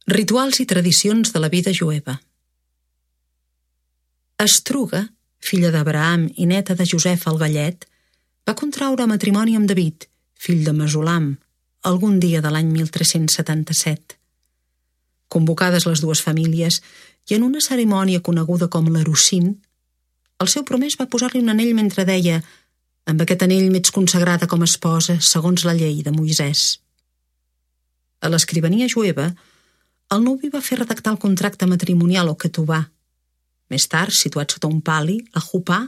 Rituals i tradicions de la vida jueva. Estruga, filla d'Abraham i neta de Josep el Gallet, va contraure matrimoni amb David, fill de Mesulam, algun dia de l'any 1377. Convocades les dues famílies i en una cerimònia coneguda com l'Erossin, el seu promès va posar-li un anell mentre deia: «Amb aquest anell m'ets consagrada com a esposa segons la llei de Moisès». A l'escrivania jueva, el nuvi va fer redactar el contracte matrimonial o ketubà. Més tard, situat sota un pali, la jupà,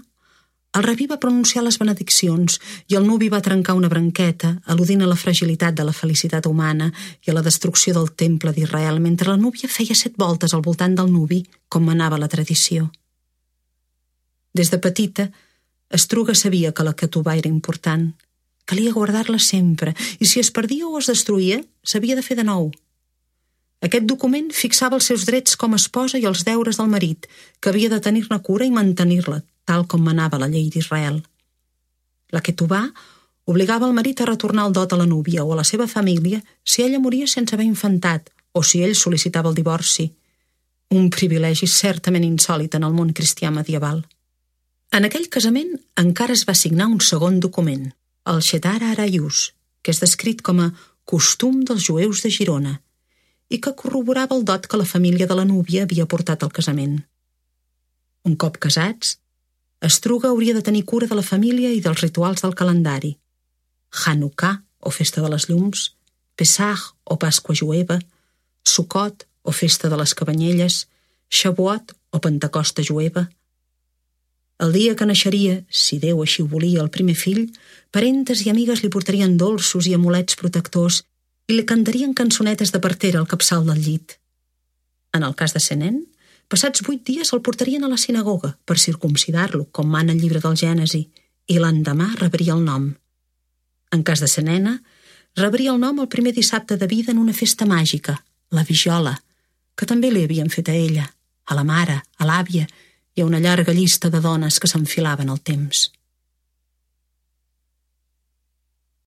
el rabí va pronunciar les benediccions i el nuvi va trencar una branqueta, al·ludint a la fragilitat de la felicitat humana i a la destrucció del temple d'Israel, mentre la núvia feia 7 voltes al voltant del nuvi, com manava la tradició. Des de petita, Estruga sabia que la ketubà era important. Calia guardar-la sempre, i si es perdia o es destruïa, s'havia de fer de nou. Aquest document fixava els seus drets com a esposa i els deures del marit, que havia de tenir-ne cura i mantenir-la, tal com manava la llei d'Israel. La ketubà obligava el marit a retornar el dot a la núvia o a la seva família si ella moria sense haver infantat o si ell sol·licitava el divorci. Un privilegi certament insòlit en el món cristià medieval. En aquell casament encara es va signar un segon document, el Shetar Arayus, que és descrit com a costum dels jueus de Girona, i que corroborava el dot que la família de la núvia havia portat al casament. Un cop casats, Estruga hauria de tenir cura de la família i dels rituals del calendari. Hanukkà, o festa de les llums, Pesach, o Pasqua jueva, Sukkot, o festa de les cabanyelles, Shavuot, o Pentecosta jueva. El dia que naixeria, si Déu així ho volia, el primer fill, parentes i amigues li portarien dolços i amulets protectors i li cantarien cançonetes de partera al capçal del llit. En el cas de ser nen, passats 8 dies el portarien a la sinagoga per circumcidar-lo, com mana el llibre del Gènesi, i l'endemà rebria el nom. En cas de ser nena, rebria el nom el primer dissabte de vida en una festa màgica, la Vigiola, que també li havien fet a ella, a la mare, a l'àvia i a una llarga llista de dones que s'enfilaven al temps.